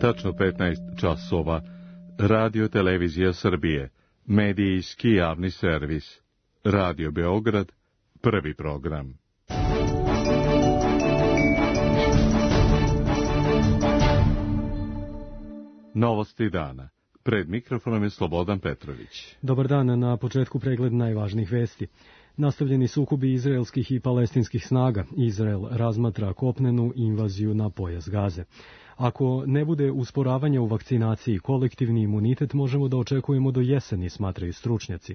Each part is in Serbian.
tačno 15 časova, Radio Televizija Srbije, medijski javni servis, Radio Beograd, prvi program. Novosti dana. Pred mikrofonom je Slobodan Petrović. Dobar dan, na početku pregled najvažnijih vesti. Nastavljeni sukobi izraelskih i palestinskih snaga. Izrael razmatra kopnenu invaziju na pojas Gaze. Ako ne bude usporavanja u vakcinaciji, kolektivni imunitet možemo da očekujemo do jeseni, smatraju stručnjaci.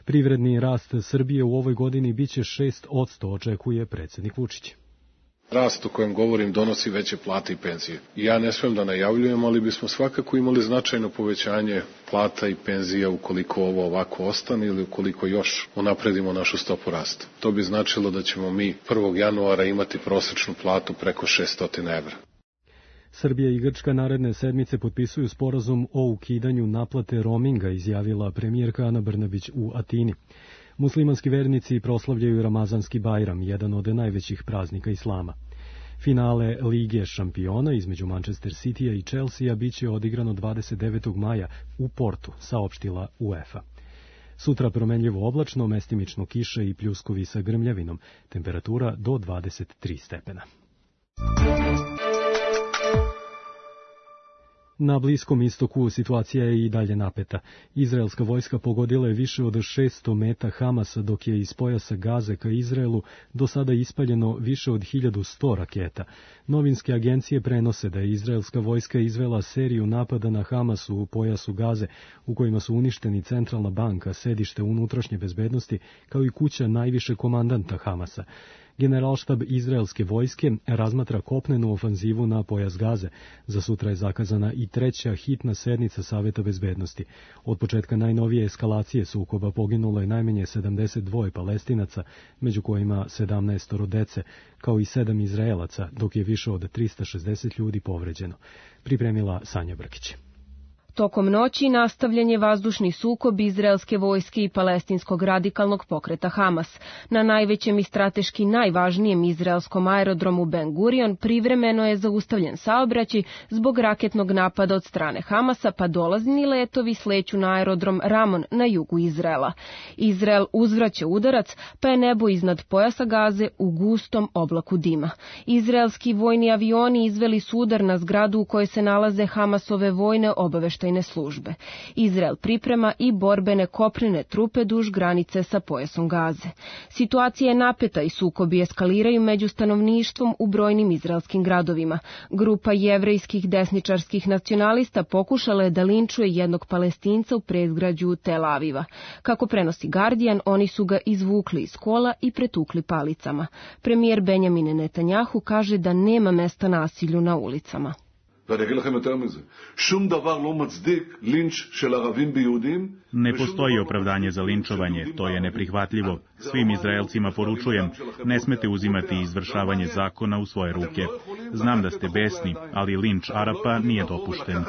Privredni rast Srbije u ovoj godini biće 6%, očekuje predsjednik Vučić. Rast o kojem govorim donosi veće plate i penzije. Ja ne smem da najavljujem, ali bismo svakako imali značajno povećanje plata i penzija ukoliko ovo ovako ostane ili ukoliko još unapredimo našu stopu rasta. To bi značilo da ćemo mi 1. januara imati prosečnu platu preko 600 evra. Srbija i Grčka naredne sedmice potpisuju sporazum o ukidanju naplate roaminga, izjavila premijerka Ana Brnabić u Atini. Muslimanski vernici proslavljaju Ramazanski Bajram, jedan od najvećih praznika islama. Finale Lige šampiona između Manchester Citya i Chelsea biće odigrano 29. maja u Portu, saopštila UEFA. Sutra promenljivo oblačno, mestimično kiše i pljuskovi sa grmljavinom, temperatura do 23 stepena. Na Bliskom istoku situacija je i dalje napeta. Izraelska vojska pogodila je više od 600 meta Hamasa, dok je iz pojasa Gaze ka Izraelu do sada ispaljeno više od 1100 raketa. Novinske agencije prenose da je izraelska vojska izvela seriju napada na Hamasu u pojasu Gaze, u kojima su uništeni centralna banka, sedište unutrašnje bezbednosti, kao i kuća najviše komandanta Hamasa. Generalštab izraelske vojske razmatra kopnenu ofanzivu na pojas Gaze. Za sutra je zakazana i treća hitna sednica Saveta bezbednosti. Od početka najnovije eskalacije sukoba poginulo je najmanje 72 Palestinaca, među kojima 17 dece, kao i 7 Izraelaca, dok je više od 360 ljudi povređeno. Pripremila Sanja Brkić. Tokom noći nastavljen je vazdušni sukob izraelske vojske i palestinskog radikalnog pokreta Hamas. Na najvećem i strateški najvažnijem izraelskom aerodromu Ben Gurion privremeno je zaustavljen saobraćaj zbog raketnog napada od strane Hamasa, pa dolazni letovi sleću na aerodrom Ramon na jugu Izraela. Izrael uzvraća udarac, pa je nebo iznad pojasa Gaze u gustom oblaku dima. Izraelski vojni avioni izveli su udar na zgradu u kojoj se nalaze Hamasove vojne obaveštajne službe. Izrael priprema i borbene kopnene trupe duž granice sa pojasom Gaze. Situacija je napeta i sukobi eskaliraju među stanovništvom u brojnim izraelskim gradovima. Grupa jevrejskih desničarskih nacionalista pokušala je da linčuje jednog Palestinca u predgrađu Tel Aviva. Kako prenosi Guardian, oni su ga izvukli iz kola i pretukli palicama. Premijer Benjamin Netanjahu kaže da nema mesta nasilju na ulicama. Ne postoji opravdanje za linčovanje, to je neprihvatljivo. Svim Izraelcima poručujem, ne smete uzimati izvršavanje zakona u svoje ruke. Znam da ste besni, ali linč Arapa nije dopušten.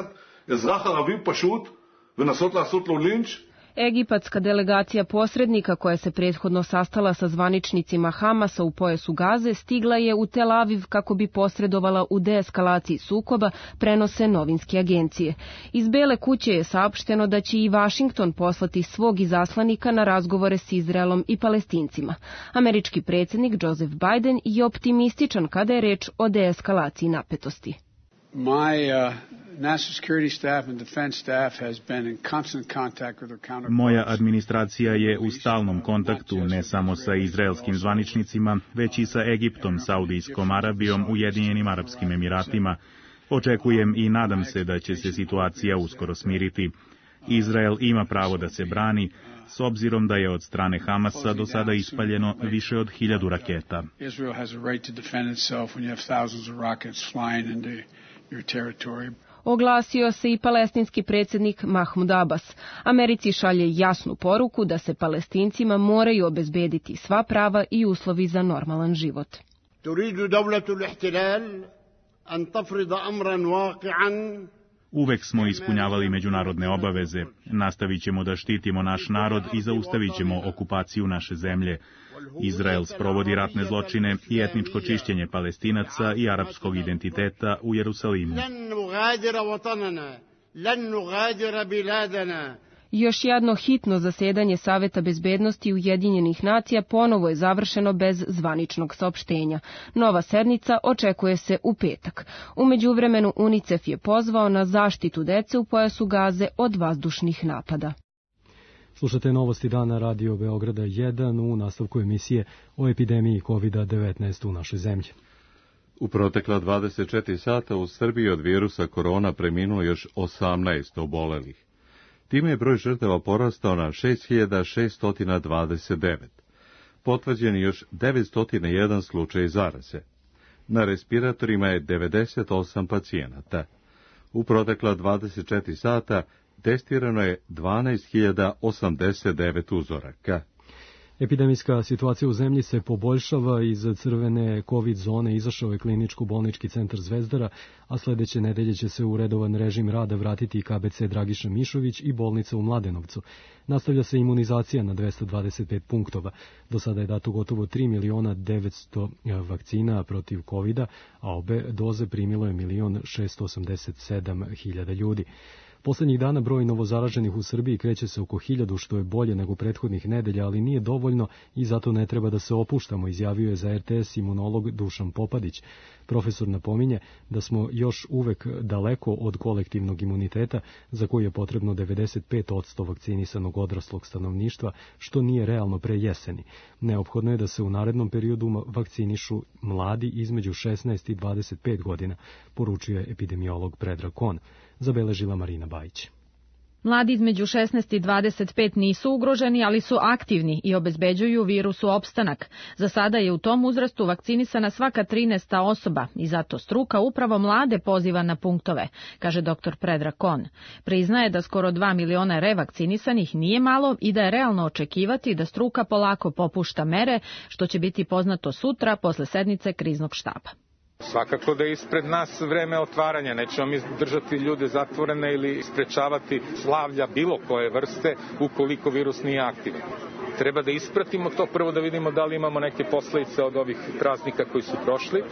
Egipatska delegacija posrednika koja se prethodno sastala sa zvaničnicima Hamasa u pojasu Gaze stigla je u Tel Aviv kako bi posredovala u deeskalaciji sukoba, prenose novinske agencije. Iz Bele kuće je saopšteno da će i Vašington poslati svog izaslanika na razgovore s Izraelom i Palestincima. Američki predsjednik Joseph Biden je optimističan kada je reč o deeskalaciji napetosti. Moja administracija je u stalnom kontaktu ne samo sa izraelskim zvaničnicima, već i sa Egiptom, Saudijskom Arabijom, Ujedinjenim Arapskim Emiratima. Očekujem i nadam se da će se situacija uskoro smiriti. Izrael ima pravo da se brani, s obzirom da je od strane Hamasa do sada ispaljeno više od 1000 raketa. Oglasio se i palestinski predsjednik Mahmud Abbas. Americi šalje jasnu poruku da se Palestincima moraju obezbediti sva prava i uslovi za normalan život. Uvek smo ispunjavali međunarodne obaveze. Nastavit ćemo da štitimo naš narod i zaustavit ćemo okupaciju naše zemlje. Izrael sprovodi ratne zločine i etničko čišćenje Palestinaca i arapskog identiteta u Jerusalimu. Još jedno hitno zasedanje Saveta bezbednosti Ujedinjenih nacija ponovo je završeno bez zvaničnog saopštenja. Nova sednica očekuje se u petak. U međuvremenu UNICEF je pozvao na zaštitu dece u pojasu Gaze od vazdušnih napada. Slušate novosti dana Radio Beograda 1 u nastavku emisije o epidemiji COVID-19 u našoj zemlji. U protekla 24 sata u Srbiji od virusa korona preminulo još 18 obolelih. Time je broj žrtava porastao na 6629. Potvrđen je još 901 slučaj zaraze. Na respiratorima je 98 pacijenata. U protekla 24 sata testirano je 12.089 uzoraka. Epidemijska situacija u zemlji se poboljšava. Iz crvene COVID zone izašao je kliničko-bolnički centar Zvezdara, a sledeće nedelje će se u redovan režim rada vratiti i KBC Dragiša Mišović i bolnica u Mladenovcu. Nastavlja se imunizacija na 225 punktova. Do sada je dato gotovo 3.900.000 vakcina protiv COVID-a, a obe doze primilo je 1.687.000 ljudi. Poslednjih dana broj novozaraženih u Srbiji kreće se oko 1000, što je bolje nego prethodnih nedelja, ali nije dovoljno i zato ne treba da se opuštamo, izjavio je za RTS imunolog Dušan Popadić. Profesor napominje da smo još uvek daleko od kolektivnog imuniteta za koji je potrebno 95% vakcinisanog odraslog stanovništva, što nije realno pre jeseni. Neophodno je da se u narednom periodu vakcinišu mladi između 16 i 25 godina, poručio je epidemiolog Predrag Kon. Zabeležila Marina Bajić. Mladi između 16 i 25 nisu ugroženi, ali su aktivni i obezbeđuju virusu opstanak. Za sada je u tom uzrastu vakcinisana svaka 13. osoba i zato struka upravo mlade poziva na punktove, kaže dr. Predrag Kon. Priznaje da skoro 2 miliona revakcinisanih nije malo i da je realno očekivati da struka polako popušta mere, što će biti poznato sutra posle sednice kriznog štaba. Svakako da je ispred nas vreme otvaranja, nećemo mi držati ljude zatvorene ili sprečavati slavlja bilo koje vrste ukoliko virus nije aktivan. Treba da ispratimo to, prvo da vidimo da li imamo neke posledice od ovih praznika koji su prošli.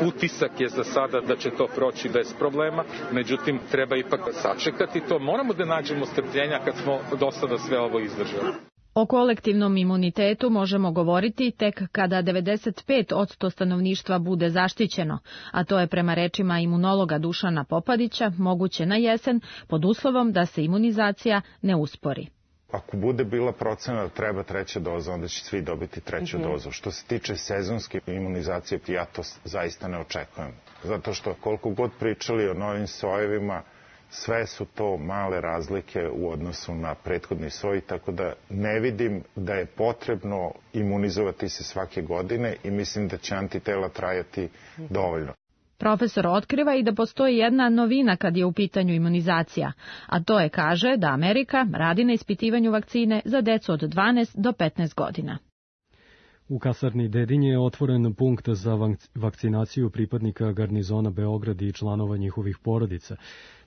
Utisak je za sada da će to proći bez problema, međutim treba ipak sačekati to. Moramo da nađemo strpljenja kad smo do sada sve ovo izdržali. O kolektivnom imunitetu možemo govoriti tek kada 95% stanovništva bude zaštićeno, a to je prema rečima imunologa Dušana Popadića moguće na jesen pod uslovom da se imunizacija ne uspori. Ako bude bila procena da treba treća doza, onda će svi dobiti treću dozu. Što se tiče sezonske imunizacije, ja to zaista ne očekujem. Zato što koliko god pričali o novim sojevima, sve su to male razlike u odnosu na prethodni soj, tako da ne vidim da je potrebno imunizovati se svake godine i mislim da će antitela trajati dovoljno. Profesor otkriva i da postoji jedna novina kad je u pitanju imunizacija, a to je, kaže, da Amerika radi na ispitivanju vakcine za decu od 12 do 15 godina. U kasarni Dedinje je otvoren punkt za vakcinaciju pripadnika garnizona Beograd i članova njihovih porodica.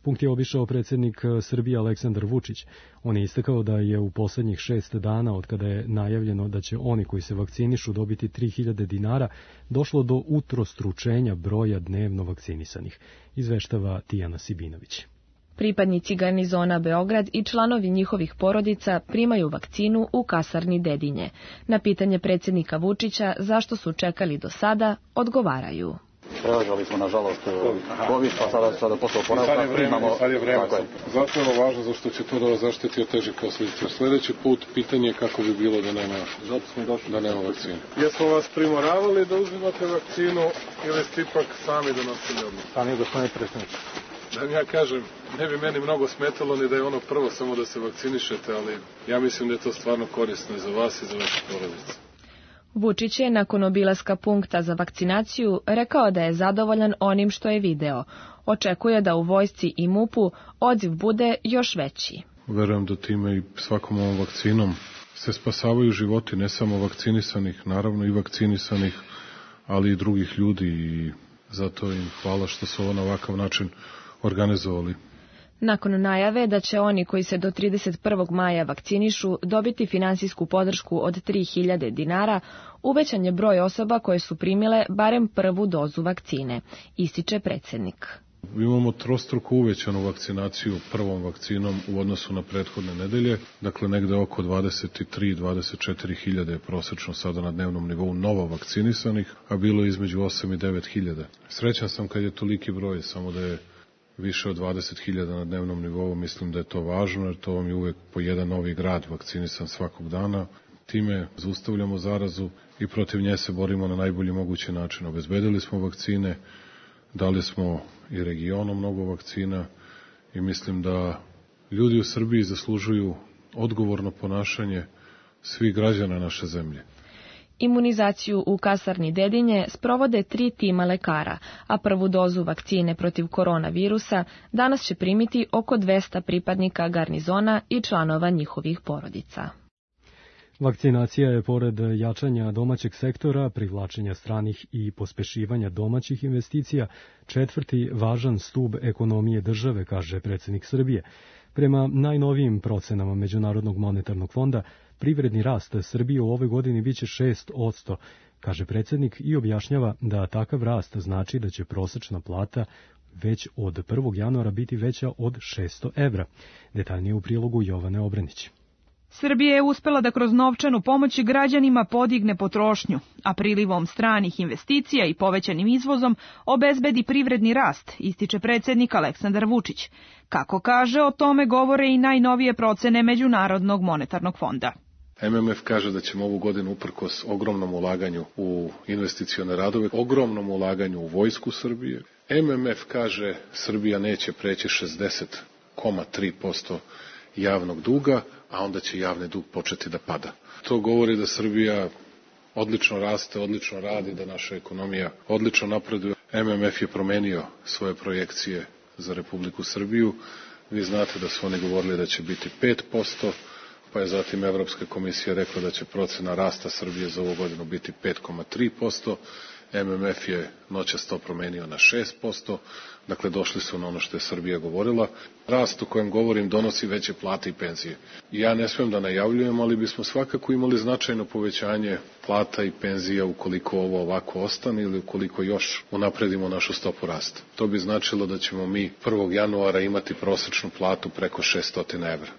Punkt je obišao predsjednik Srbije Aleksandar Vučić. On je istakao da je u poslednjih 6 dana, od kada je najavljeno da će oni koji se vakcinišu dobiti 3000 dinara, došlo do utrostručenja broja dnevno vakcinisanih, izveštava Tijana Sibinović. Pripadnici garnizona Beograd i članovi njihovih porodica primaju vakcinu u kasarni Dedinje. Na pitanje predsjednika Vučića zašto su čekali do sada, odgovaraju. Preležali smo, nažalost, COVID, pa sada posle oporavka primamo. Sad je vreme. Zato je ovo važno, zašto će to da vas zaštiti od težih posljedica. Sljedeći put pitanje je kako bi bilo da nema vakcine. Jesmo vas primoravali da uzimate vakcinu ili ste ipak sami donosili odluku? Sami, gospodine predsjedniče. Da ja kažem, ne bi meni mnogo smetalo ni da je ono prvo samo da se vakcinišete, ali ja mislim da je to stvarno korisno i za vas i za vaše porodice. Vučić je nakon obilaska punkta za vakcinaciju rekao da je zadovoljan onim što je video. Očekuje da u vojsci i MUP-u odziv bude još veći. Verujem da time i svakom ovom vakcinom se spasavaju životi, ne samo vakcinisanih, naravno i vakcinisanih, ali i drugih ljudi i zato im hvala što su ovo na ovakav način organizovali. Nakon najave da će oni koji se do 31. maja vakcinišu dobiti finansijsku podršku od 3.000 dinara, uvećan je broj osoba koje su primile barem prvu dozu vakcine, ističe predsjednik. Imamo trostruko uvećanu vakcinaciju prvom vakcinom u odnosu na prethodne nedelje, dakle negde oko 23-24 hiljade je prosečno sada na dnevnom nivou novo vakcinisanih, a bilo je između 8 i 9 hiljada. Srećan sam kad je toliki broj, samo da je više od 20.000 na dnevnom nivou, mislim da je to važno, jer to vam je uvek po jedan novi grad vakcinisan svakog dana. Time zaustavljamo zarazu i protiv nje se borimo na najbolji mogući način. Obezbedili smo vakcine, dali smo i regionu mnogo vakcina i mislim da ljudi u Srbiji zaslužuju odgovorno ponašanje svih građana naše zemlje. Imunizaciju u kasarni Dedinje sprovode 3 tima lekara, a prvu dozu vakcine protiv koronavirusa danas će primiti oko 200 pripadnika garnizona i članova njihovih porodica. Vakcinacija je, pored jačanja domaćeg sektora, privlačenja stranih i pospešivanja domaćih investicija, 4. važan stub ekonomije države, kaže predsjednik Srbije. Prema najnovijim procenama Međunarodnog monetarnog fonda, privredni rast Srbije u ovoj godini biće 6%, kaže predsjednik i objašnjava da takav rast znači da će prosečna plata već od 1. januara biti veća od 600 evra. Detaljnije u prilogu Jovane Obrenić. Srbija je uspela da kroz novčanu pomoć građanima podigne potrošnju, a prilivom stranih investicija i povećanim izvozom obezbedi privredni rast, ističe predsjednik Aleksandar Vučić. Kako kaže, o tome govore i najnovije procene Međunarodnog monetarnog fonda. MMF kaže da ćemo ovu godinu uprkos ogromnom ulaganju u investicione radove, ogromnom ulaganju u vojsku Srbije. MMF kaže Srbija neće preći 60,3% javnog duga, a onda će javni dug početi da pada. To govori da Srbija odlično raste, odlično radi, da naša ekonomija odlično napreduje. MMF je promenio svoje projekcije za Republiku Srbiju. Vi znate da su oni govorili da će biti 5%, pa je zatim Evropska komisija rekla da će procena rasta Srbije za ovu godinu biti 5,3%. MMF je noćas to promenio na 6%, dakle došli su na ono što je Srbija govorila. Rast o kojem govorim donosi veće plate i penzije. Ja ne smem da najavljujem, ali bismo svakako imali značajno povećanje plata i penzija ukoliko ovo ovako ostane ili ukoliko još unapredimo našu stopu rasta. To bi značilo da ćemo mi 1. januara imati prosečnu platu preko 600 evra.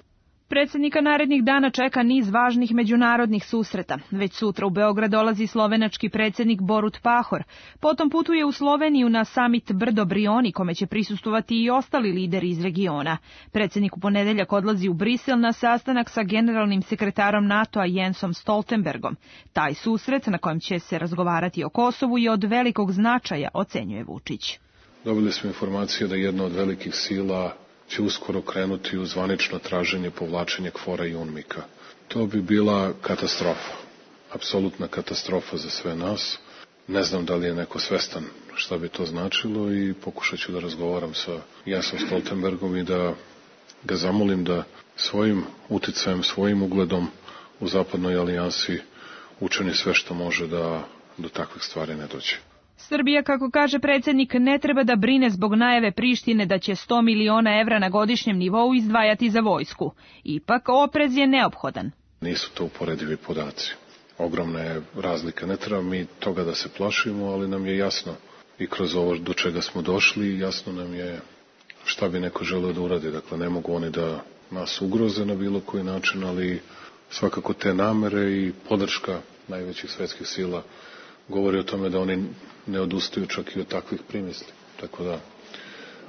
Predsjednika narednih dana čeka niz važnih međunarodnih susreta. Već sutra u Beograd dolazi slovenački predsjednik Borut Pahor. Potom putuje u Sloveniju na samit Brdo Brioni, kome će prisustvovati i ostali lideri iz regiona. Predsjednik u ponedeljak odlazi u Brisel na sastanak sa generalnim sekretarom NATO-a Jensom Stoltenbergom. Taj susret, na kojem će se razgovarati o Kosovu, je od velikog značaja, ocenjuje Vučić. Dobili smo informacije da jedna od velikih sila će uskoro krenuti u zvanično traženje povlačenja KFOR-a i UNMIK-a. To bi bila katastrofa, apsolutna katastrofa za sve nas. Ne znam da li je neko svestan šta bi to značilo i pokušat ću da razgovaram sa Jensom Stoltenbergom i da ga zamolim da svojim uticajem, svojim ugledom u zapadnoj alijansi učini sve što može da do takvih stvari ne dođe. Srbija, kako kaže predsjednik, ne treba da brine zbog najave Prištine da će 100 miliona evra na godišnjem nivou izdvajati za vojsku. Ipak, oprez je neophodan. Nisu to uporedivi podaci. Ogromna je razlika. Ne treba mi toga da se plašimo, ali nam je jasno i kroz ovo do čega smo došli, jasno nam je šta bi neko želeo da uradi. Dakle, ne mogu oni da nas ugroze na bilo koji način, ali svakako te namere i podrška najvećih svetskih sila govori o tome da oni ne odustaju čak i od takvih primisli. Tako da,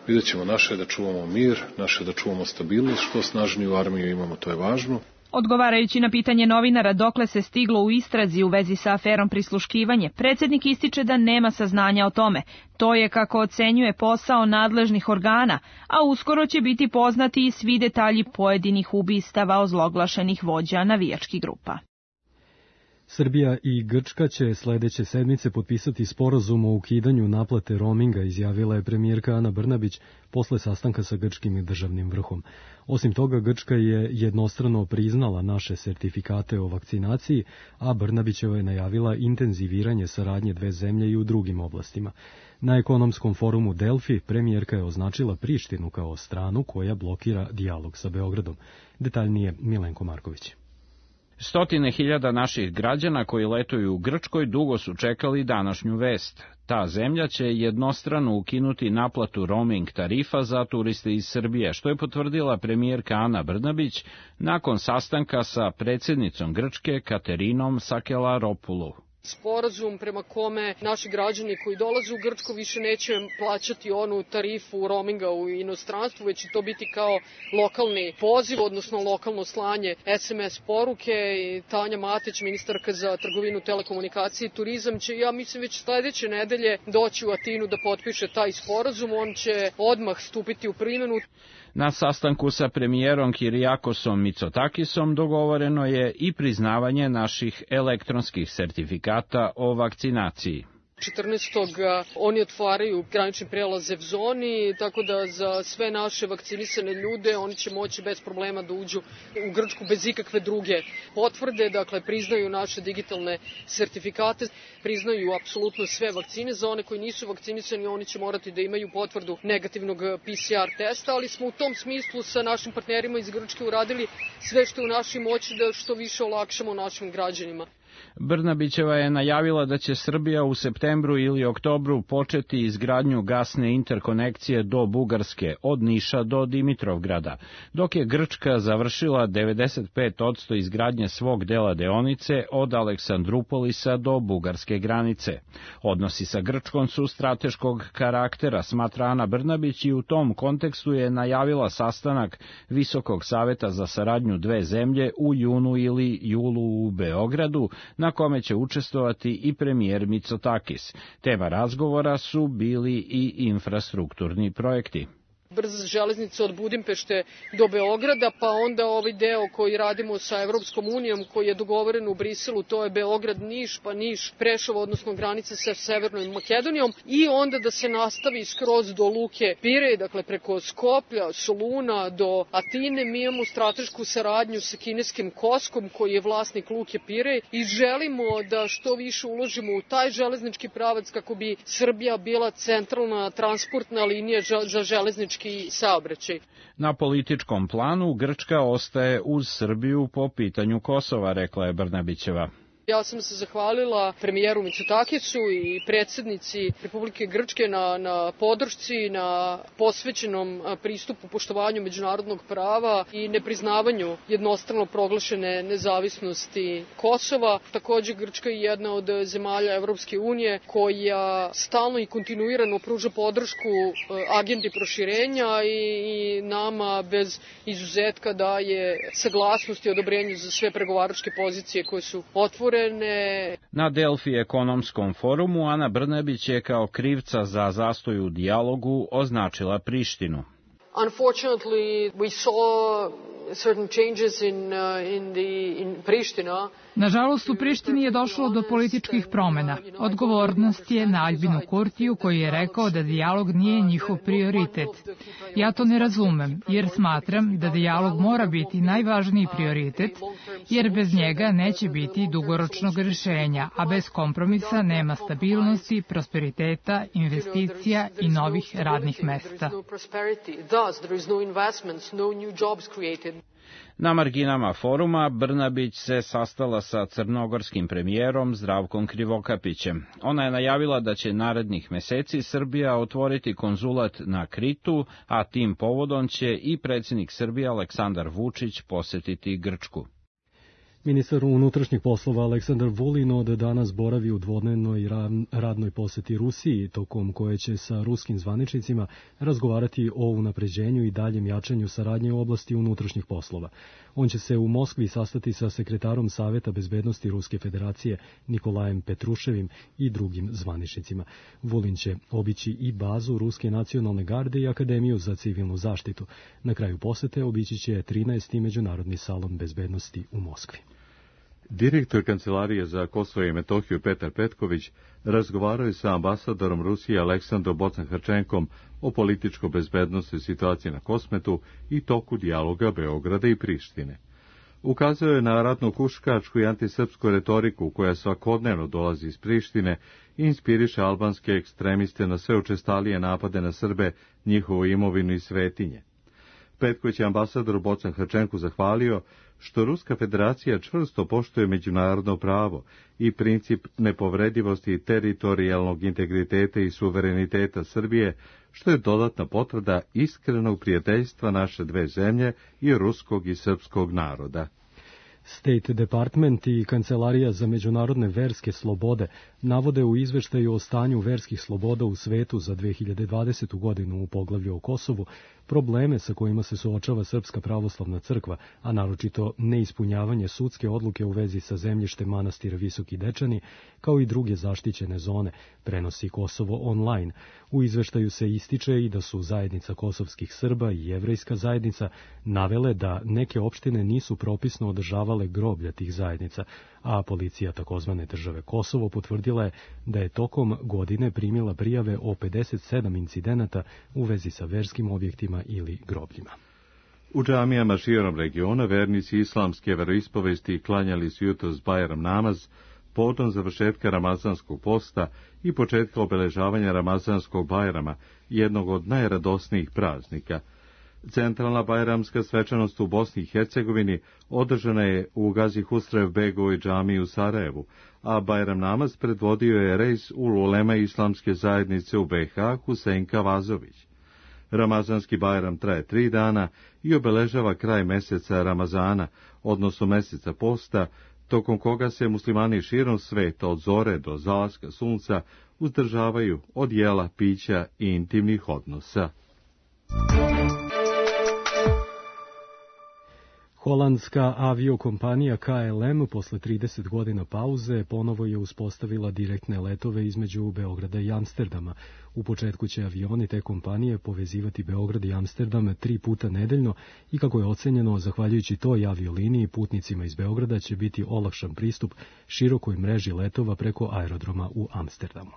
vidjet ćemo, naše da čuvamo mir, naše da čuvamo stabilnost, što snažniju armiju imamo, to je važno. Odgovarajući na pitanje novinara dokle se stiglo u istrazi u vezi sa aferom prisluškivanje, predsjednik ističe da nema saznanja o tome. To je, kako ocenjuje, posao nadležnih organa, a uskoro će biti poznati i svi detalji pojedinih ubistava ozloglašenih vođa navijačkih grupa. Srbija i Grčka će sledeće sedmice potpisati sporazum o ukidanju naplate roaminga, izjavila je premijerka Ana Brnabić posle sastanka sa grčkim državnim vrhom. Osim toga, Grčka je jednostrano priznala naše sertifikate o vakcinaciji, a Brnabićeva je najavila intenziviranje saradnje dve zemlje i u drugim oblastima. Na ekonomskom forumu Delfi premijerka je označila Prištinu kao stranu koja blokira dijalog sa Beogradom. Detaljnije Milenko Marković. Stotine hiljada naših građana koji letuju u Grčkoj dugo su čekali današnju vest. Ta zemlja će jednostrano ukinuti naplatu roaming tarifa za turiste iz Srbije, što je potvrdila premijerka Ana Brnabić nakon sastanka sa predsjednicom Grčke Katerinom Sakelaropoulou. Sporazum prema kome naši građani koji dolaze u Grčku više neće plaćati onu tarifu roaminga u inostranstvu, već će to biti kao lokalni poziv, odnosno lokalno slanje SMS poruke. I Tanja Matić, ministarka za trgovinu, telekomunikacije i turizam, će, ja mislim, već sledeće nedelje doći u Atinu da potpiše taj sporazum. On će odmah stupiti u primjenu. Na sastanku sa premijerom Kirijakosom Mitsotakisom dogovoreno je i priznavanje naših elektronskih sertifikata o vakcinaciji. 14. oni otvaraju granične prelaze v zoni, tako da za sve naše vakcinisane ljude oni će moći bez problema da uđu u Grčku bez ikakve druge potvrde, dakle priznaju naše digitalne sertifikate, priznaju apsolutno sve vakcine. Za one koji nisu vakcinisani oni će morati da imaju potvrdu negativnog PCR testa, ali smo u tom smislu sa našim partnerima iz Grčke uradili sve što je u našoj moći da što više olakšamo našim građanima. Brnabićeva je najavila da će Srbija u septembru ili oktobru početi izgradnju gasne interkonekcije do Bugarske, od Niša do Dimitrovgrada, dok je Grčka završila 95% izgradnje svog dela deonice od Aleksandrupolisa do bugarske granice. Odnosi sa Grčkom su strateškog karaktera, smatra Ana Brnabić, i u tom kontekstu je najavila sastanak Visokog saveta za saradnju dve zemlje u junu ili julu u Beogradu, na kome će učestvovati i premijer Mitsotakis. Tema razgovora su bili i infrastrukturni projekti. Brza železnica od Budimpešte do Beograda, pa onda ovaj deo koji radimo sa Evropskom unijom, koji je dogovoren u Briselu, to je Beograd-Niš, pa Niš-Preševo, odnosno granica sa Severnom Makedonijom, i onda da se nastavi skroz do Luke Pirej, dakle preko Skoplja, Soluna do Atine. Mi imamo stratešku saradnju sa kineskim Koskom, koji je vlasnik Luke Pirej, i želimo da što više uložimo u taj železnički pravac kako bi Srbija bila centralna transportna linija za železnički saobraćaj. Na političkom planu Grčka ostaje uz Srbiju po pitanju Kosova, rekla je Brnabićeva. Ja sam se zahvalila premijeru Mitsotakisu i predsjednici Republike Grčke na podršci, na posvećenom pristupu poštovanju međunarodnog prava i nepriznavanju jednostrano proglašene nezavisnosti Kosova. Također Grčka je jedna od zemalja Evropske unije koja stalno i kontinuirano pruža podršku agendi proširenja i nama bez izuzetka daje saglasnost i odobrenje za sve pregovaračke pozicije koje su otvorene. Na Delfi ekonomskom forumu Ana Brnabić je kao krivca za zastoj u dijalogu označila Prištinu. Unfortunately, we saw certain changes in Priština. Nažalost, u Prištini je došlo do političkih promjena. Odgovornost je na Albinu Kurtiju, koji je rekao da dijalog nije njihov prioritet. Ja to ne razumem, jer smatram da dijalog mora biti najvažniji prioritet, jer bez njega neće biti dugoročnog rješenja, a bez kompromisa nema stabilnosti, prosperiteta, investicija i novih radnih mesta. Na marginama foruma Brnabić se sastala sa crnogorskim premijerom Zdravkom Krivokapićem. Ona je najavila da će narednih meseci Srbija otvoriti konzulat na Kritu, a tim povodom će i predsjednik Srbije Aleksandar Vučić posetiti Grčku. Ministar unutrašnjih poslova Aleksandar Vulin od danas boravi u dvodnevnoj radnoj poseti Rusiji, tokom koje će sa ruskim zvaničnicima razgovarati o unapređenju i daljem jačanju saradnje u oblasti unutrašnjih poslova. On će se u Moskvi sastati sa sekretarom Saveta bezbednosti Ruske federacije Nikolajem Petruševim i drugim zvaničnicima. Vulin će obići i bazu Ruske nacionalne garde i Akademiju za civilnu zaštitu. Na kraju posete obići će 13. međunarodni salon bezbednosti u Moskvi. Direktor Kancelarije za Kosovo i Metohiju Petar Petković razgovarao je sa ambasadorom Rusije Aleksandrom Bocan-Hrčenkom o političko-bezbednostnoj situaciji na Kosmetu i toku dijaloga Beograda i Prištine. Ukazao je na ratno-huškačku i antisrpsku retoriku koja svakodnevno dolazi iz Prištine i inspiriše albanske ekstremiste na sve učestalije napade na Srbe, njihovu imovinu i svetinje. Petković je ambasadoru Bocan Hrčenku zahvalio što Ruska federacija čvrsto poštuje međunarodno pravo i princip nepovredivosti teritorijalnog integriteta i suvereniteta Srbije, što je dodatna potvrda iskrenog prijateljstva naše dve zemlje i ruskog i srpskog naroda. State Department i Kancelarija za međunarodne verske slobode navode u izveštaju o stanju verskih sloboda u svetu za 2020. godinu u poglavlju o Kosovu probleme sa kojima se suočava Srpska pravoslavna crkva, a naročito neispunjavanje sudske odluke u vezi sa zemljištem manastira Visoki Dečani, kao i druge zaštićene zone, prenosi Kosovo online. U izveštaju se ističe i da su zajednica kosovskih Srba i jevrejska zajednica navele da neke opštine nisu propisno održavale groblja tih zajednica, a policija takozvane države Kosovo potvrdila je da je tokom godine primila prijave o 57 incidenata u vezi sa verskim objektima ili grobljima. U džamijama širom regiona vernici islamske veroispovesti klanjali su jutros Bajram namaz povodom završetka ramazanskog posta i početka obeležavanja ramazanskog Bajrama, jednog od najradosnijih praznika. Centralna bajramska svečanost u Bosni i Hercegovini održana je u Gazi Husrev Begovoj džamiji u Sarajevu, a Bajram namaz predvodio je reis ulema islamske zajednice u BiH Husein Vazović. Ramazanski Bajram traje 3 dana i obeležava kraj meseca Ramazana, odnosno meseca posta, tokom koga se muslimani širom sveta od zore do zalaska sunca uzdržavaju od jela, pića i intimnih odnosa. Holandska aviokompanija KLM posle 30 godina pauze ponovo je uspostavila direktne letove između Beograda i Amsterdama. U početku će avioni te kompanije povezivati Beograd i Amsterdam 3 puta nedeljno i kako je ocenjeno, zahvaljujući toj avioliniji, putnicima iz Beograda će biti olakšan pristup širokoj mreži letova preko aerodroma u Amsterdamu.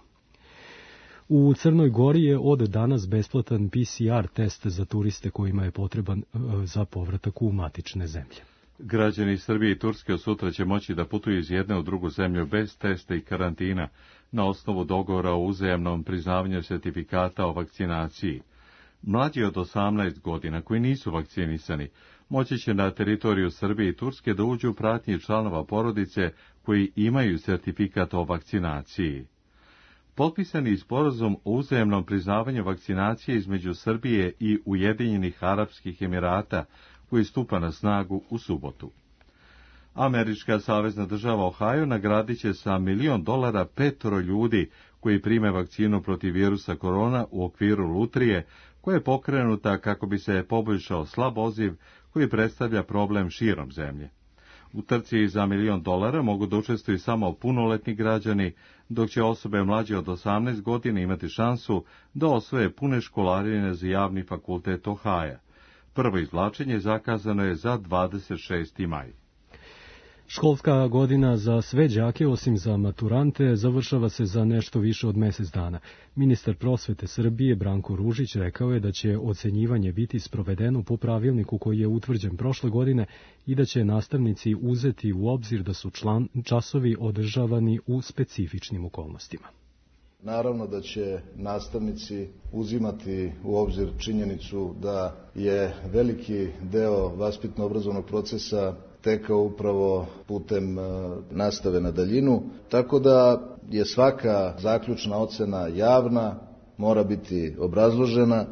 U Crnoj Gori je od danas besplatan PCR test za turiste kojima je potreban za povratak u matične zemlje. Građani Srbije i Turske od sutra će moći da putuju iz jedne u drugu zemlju bez testa i karantina na osnovu dogovora o uzajamnom priznavanju sertifikata o vakcinaciji. Mlađi od 18 godina koji nisu vakcinisani moći će na teritoriju Srbije i Turske da uđu u pratnji članova porodice koji imaju sertifikat o vakcinaciji. Potpisani sporazum o uzajamnom priznavanju vakcinacije između Srbije i Ujedinjenih Arapskih Emirata, koji stupa na snagu u subotu. Američka savezna država Ohio nagradit će sa $1 milion 5 ljudi koji prime vakcinu protiv virusa korona u okviru lutrije, koja je pokrenuta kako bi se poboljšao slab odziv koji predstavlja problem širom zemlje. U trci za $1 milion mogu da učestvuju samo punoletni građani, dok će osobe mlađe od 18 godina imati šansu da osvoje pune školarine za javni fakultet Ohaja. Prvo izvlačenje zakazano je za 26. maj. Školska godina za sve đake, osim za maturante, završava se za nešto više od mesec dana. Ministar prosvete Srbije Branko Ružić rekao je da će ocenjivanje biti sprovedeno po pravilniku koji je utvrđen prošle godine i da će nastavnici uzeti u obzir da su časovi održavani u specifičnim okolnostima. Naravno da će nastavnici uzimati u obzir činjenicu da je veliki deo vaspitno-obrazovnog procesa tekao upravo putem nastave na daljinu, tako da je svaka zaključna ocena javna, mora biti obrazložena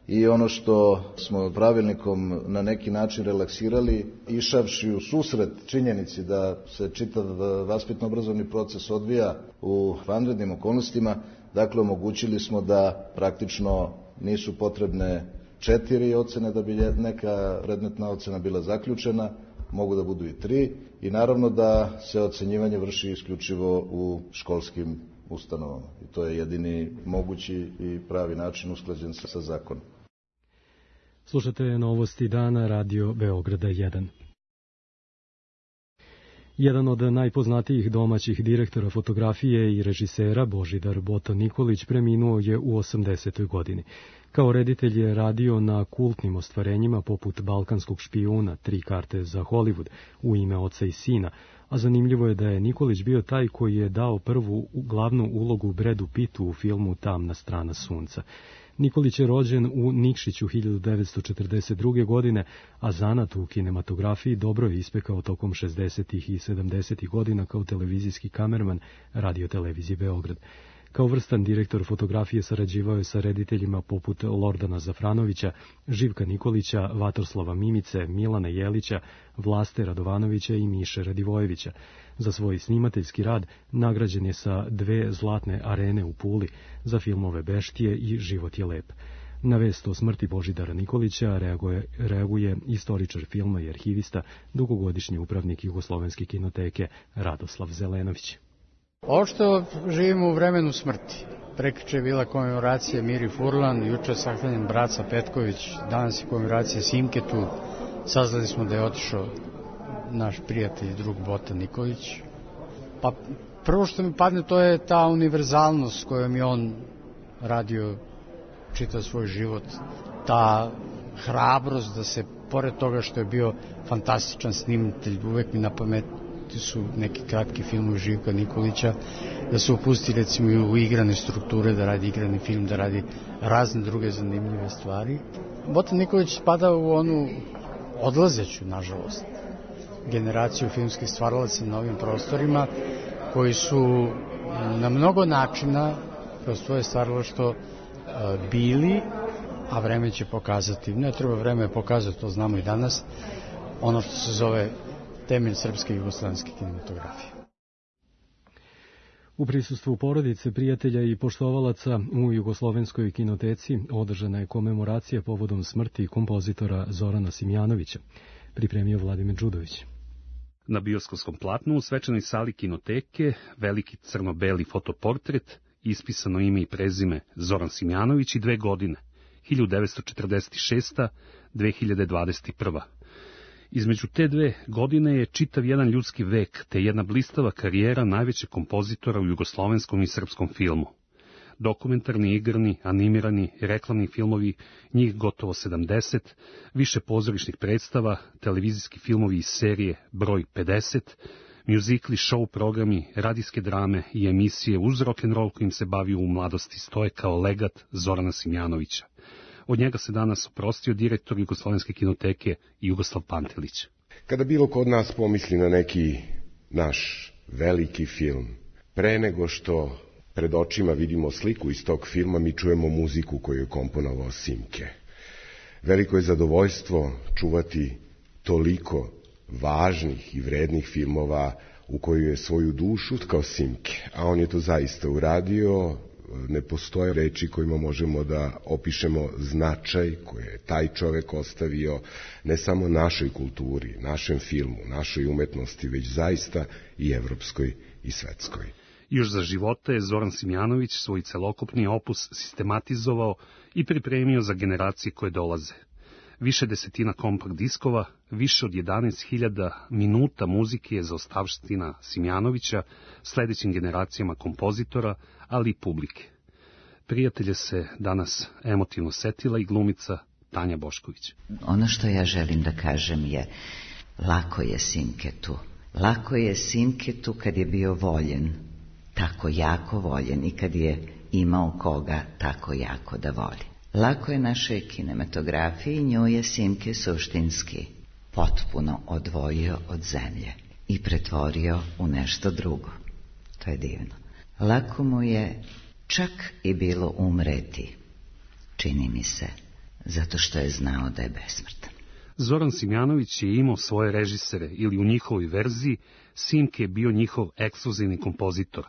i ono što smo pravilnikom na neki način relaksirali, išavši u susret činjenici da se čitav vaspitno-obrazovni proces odvija u vanrednim okolnostima, dakle omogućili smo da praktično nisu potrebne 4 ocene da bi neka predmetna ocena bila zaključena, mogu da budu i 3 i naravno da se ocenjivanje vrši isključivo u školskim ustanovama. I to je jedini mogući i pravi način usklađen sa zakonom. Slušate novosti dana Radio Beograda 1. Jedan od najpoznatijih domaćih direktora fotografije i režisera, Božidar Bota Nikolić, preminuo je u 80. godini. Kao reditelj je radio na kultnim ostvarenjima poput Balkanskog špijuna, 3 karte za Hollywood, U ime oca i sina, a zanimljivo je da je Nikolić bio taj koji je dao prvu glavnu ulogu Bradu Pittu u filmu Tamna strana sunca. Nikolić je rođen u Nikšiću 1942. godine, a zanat u kinematografiji dobro je ispekao tokom 60. i 70. godina kao televizijski kamerman Radio-televizije Beograd. Kao vrstan direktor fotografije sarađivao je sa rediteljima poput Lordana Zafranovića, Živka Nikolića, Vatroslava Mimice, Milana Jelića, Vlaste Radovanovića i Miše Radivojevića. Za svoj snimateljski rad nagrađen je sa 2 zlatne arene u Puli za filmove Beštije i Život je lep. Na vest o smrti Božidara Nikolića reaguje istoričar filma i arhivista, dugogodišnji upravnik Jugoslovenske kinoteke Radoslav Zelenović. Ošto živimo u vremenu smrti. Prekriče je bila komemoracija Miri Furlan, juče sahranjen Braca Petković, danas je komemoracija Simketu. Saznali smo da je otišao naš prijatelj i drug Bota Nikolić. Pa prvo što mi padne to je ta univerzalnost s kojom je on radio čitav svoj život. Ta hrabrost da se, pored toga što je bio fantastičan snimatelj, uvek mi na pamet su neki kratki filmovi Živka Nikolića, da se upusti recimo u igrane strukture, da radi igrani film, da radi razne druge zanimljive stvari. Bota Nikolić spada u onu odlazeću, nažalost, generaciju filmskih stvaralaca na ovim prostorima, koji su na mnogo načina kroz svoje stvaralaštvo bili, a vreme će pokazati, ne treba vreme pokazati, to znamo i danas, ono što se zove temelj srpske i jugoslovenske kinematografije. U prisustvu porodice, prijatelja i poštovalaca u Jugoslovenskoj kinoteci održana je komemoracija povodom smrti kompozitora Zorana Simjanovića, pripremio Vladimir Đudović. Na bioskopskom platnu u svečanoj sali kinoteke veliki crno-beli fotoportret, ispisano ime i prezime Zoran Simjanović i 2 godine, 1946-2021. Između te 2 godine je čitav jedan ljudski vek, te jedna blistava karijera najvećeg kompozitora u jugoslovenskom i srpskom filmu. Dokumentarni, igrani, animirani, reklamni filmovi, njih gotovo 70, više pozorišnih predstava, televizijski filmovi iz serije Broj 50, mjuzikli, show programi, radijske drame i emisije uz rock'n'roll kojim se bavio u mladosti stoje kao legat Zorana Simjanovića. Od njega se danas oprostio direktor Jugoslovenske kinoteke Jugoslav Pantelić. Kada bilo ko od nas pomisli na neki naš veliki film, pre nego što pred očima vidimo sliku iz tog filma, mi čujemo muziku koju je komponovao Simke. Veliko je zadovoljstvo čuvati toliko važnih i vrednih filmova u koju je svoju dušu utkao Simke, a on je to zaista uradio. Ne postoje reči kojima možemo da opišemo značaj koje je taj čovek ostavio ne samo našoj kulturi, našem filmu, našoj umetnosti, već zaista i evropskoj i svetskoj. Još za života je Zoran Simjanović svoj celokupni opus sistematizovao i pripremio za generacije koje dolaze. Više desetina kompakt diskova, više od 11.000 minuta muzike je zaostavština Simjanovića sledećim generacijama kompozitora, ali i publike. Prijatelje se danas emotivno setila i glumica Tanja Bošković. Ono što ja želim da kažem je, lako je Simketu. Lako je Simketu kad je bio voljen, tako jako voljen, i kad je imao koga tako jako da voli. Lako je našoj kinematografiji, nju je Simke suštinski potpuno odvojio od zemlje i pretvorio u nešto drugo. To je divno. Lako mu je čak i bilo umreti, čini mi se, zato što je znao da je besmrtan. Zoran Simjanović je imao svoje režisere ili u njihovoj verziji Simke je bio njihov ekskluzivni kompozitor.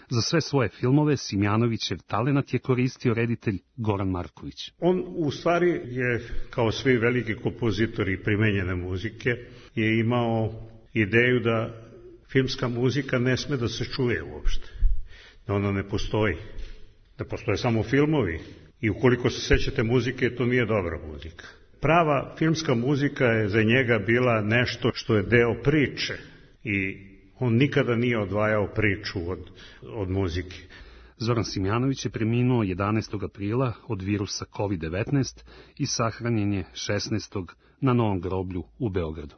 Za sve svoje filmove Simjanovićev talenat je koristio reditelj Goran Marković. On u stvari je, kao svi veliki kompozitori primenjene muzike, je imao ideju da filmska muzika ne sme da se čuje uopšte, da ona ne postoji, da postoje samo filmovi i ukoliko se sećate muzike, to nije dobra muzika. Prava filmska muzika je za njega bila nešto što je deo priče i On nikada nije odvajao priču od muzike. Zoran Simjanović je preminuo 11. aprila od virusa COVID-19 i sahranjen je 16. na Novom groblju u Beogradu.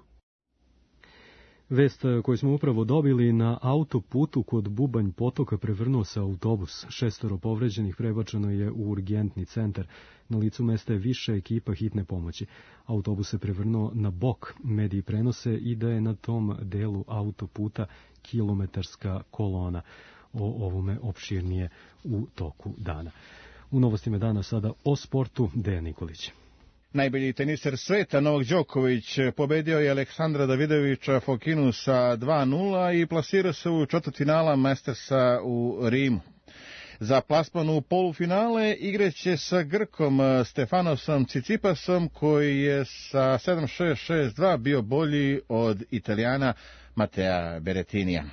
Vest koju smo upravo dobili: na autoputu kod Bubanj potoka prevrnuo se autobus. 6 povređenih prebačeno je u urgentni centar. Na licu mesta je više ekipa hitne pomoći. Autobus se prevrnuo na bok. Mediji prenose i da je na tom delu autoputa kilometarska kolona. O ovome opširnije u toku dana. U novostima dana sada o sportu. Dejan Nikolić. Najbolji teniser sveta Novak Đoković pobedio je Aleksandra Davidovića Fokinu sa 2:0 i plasirao se u četvrtfinala Mastersa u Rimu. Za plasman u polufinale igraće sa Grkom Stefanosom Cicipasom, koji je sa 7:6, 6:2 bio bolji od Italijana Matea Berettinija.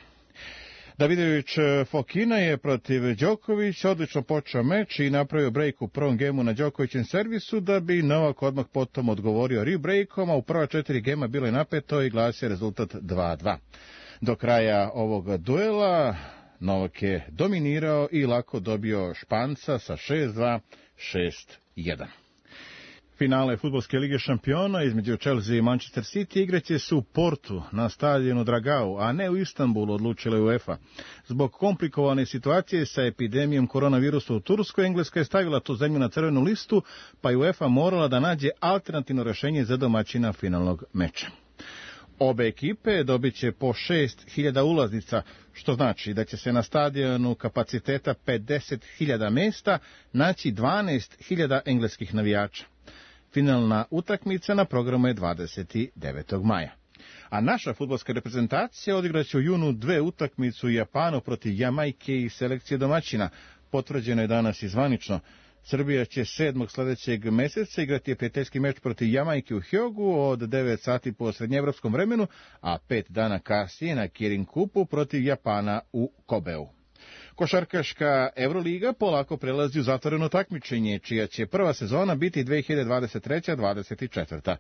Davidović Fokina je protiv Đokovića odlično počeo meč i napravio brejk u prvom gemu na Đokovićem servisu, da bi Novak odmah potom odgovorio rebreakom, a u prva 4 gema bilo je napeto i glasio rezultat 2:2. Do kraja ovog duela Novak je dominirao i lako dobio Španca sa 6:2, 6:1. Finale Fudbalske lige šampiona između Chelsea i Manchester City igraće se u Portu na stadionu Dragao, a ne u Istanbulu, odlučila je UEFA. Zbog komplikovane situacije sa epidemijom koronavirusa u Turskoj, Engleska je stavila tu zemlju na crvenu listu, pa je UEFA morala da nađe alternativno rešenje za domaćina finalnog meča. Obe ekipe dobit će po 6.000 ulaznica, što znači da će se na stadionu kapaciteta 50.000 mesta naći 12.000 engleskih navijača. Finalna utakmica na programu je 29. maja. A naša fudbalska reprezentacija odigraće u junu 2 utakmice u Japanu protiv Jamajke i selekcije domaćina. Potvrđeno je danas i zvanično. Srbija će 7. sledećeg meseca igrati prijateljski meč protiv Jamajke u Hjogu od 9 sati po srednjeevropskom vremenu, a 5 dana kasnije na Kirin Kupu protiv Japana u Kobeu. Košarkaška Euroliga polako prelazi u zatvoreno takmičenje, čija će prva sezona biti 2023-24.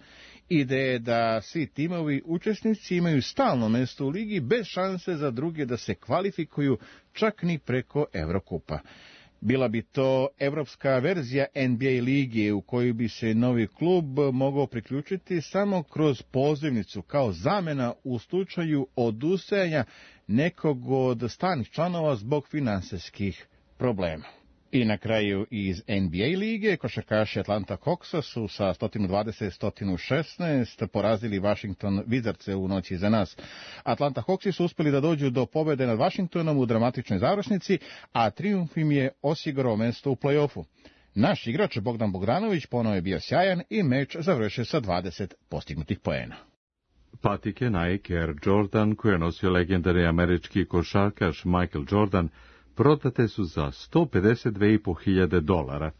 Ideja je da svi timovi učesnici imaju stalno mesto u ligi bez šanse za druge da se kvalifikuju čak ni preko Evrokupa. Bila bi to evropska verzija NBA lige u kojoj bi se novi klub mogao priključiti samo kroz pozivnicu kao zamena u slučaju odustajanja nekog od stalnih članova zbog finansijskih problema. I na kraju iz NBA lige košarkaši Atlanta Hawksa su sa 120-116 porazili Washington Wizardse u noći za nas. Atlanta Hawksi su uspeli da dođu do pobede nad Washingtonom u dramatičnoj završnici, a trijumf im je osigurao mesto u play-offu. Naš igrač Bogdan Bogdanović ponovo je bio sjajan i meč završio sa 20 postignutih poena. Patike Nike Air Jordan, koje je nosio legendarni američki košarkaš Michael Jordan, prodate su za $152.500.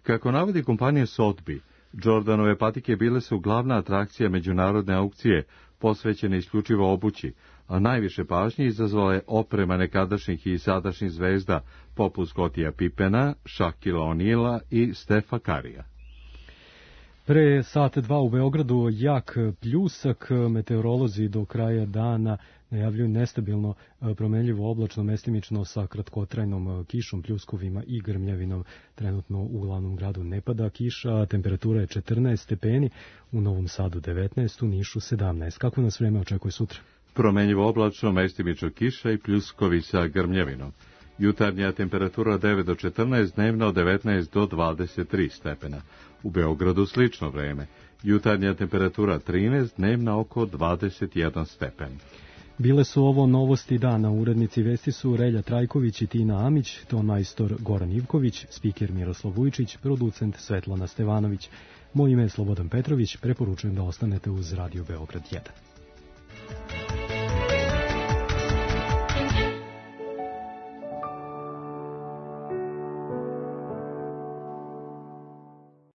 Kako navodi kompanija Sotheby, Jordanove patike bile su glavna atrakcija međunarodne aukcije, posvećene isključivo obući, a najviše pažnje izazvala je oprema nekadašnjih i sadašnjih zvezda, poput Scottija Pippena, Shaquilla O'Neala i Stefa Currya. Pre sat 2 u Beogradu jak pljusak, meteorolozi do kraja dana najavljuju nestabilno promenljivo oblačno mestimično sa kratkotrajnom kišom, pljuskovima i grmljavinom. Trenutno u glavnom gradu ne pada kiša, temperatura je 14 stepeni, u Novom Sadu 19, u Nišu 17. Kako nas vreme očekuje sutra? Promenljivo oblačno, mestimično kiša i pljuskovi sa grmljavinom. Jutarnja temperatura 9 do 14, dnevna od 19 do 23 stepena. U Beogradu slično vreme. Jutarnja temperatura 13, dnevna oko 21 stepen. Bile su ovo novosti dana. Urednici vesti su Relja Trajković i Tina Amić, ton majstor Goran Ivković, spiker Miroslav Vujčić, producent Svetlana Stevanović. Moje ime je Slobodan Petrović, preporučujem da ostanete uz Radio Beograd 1.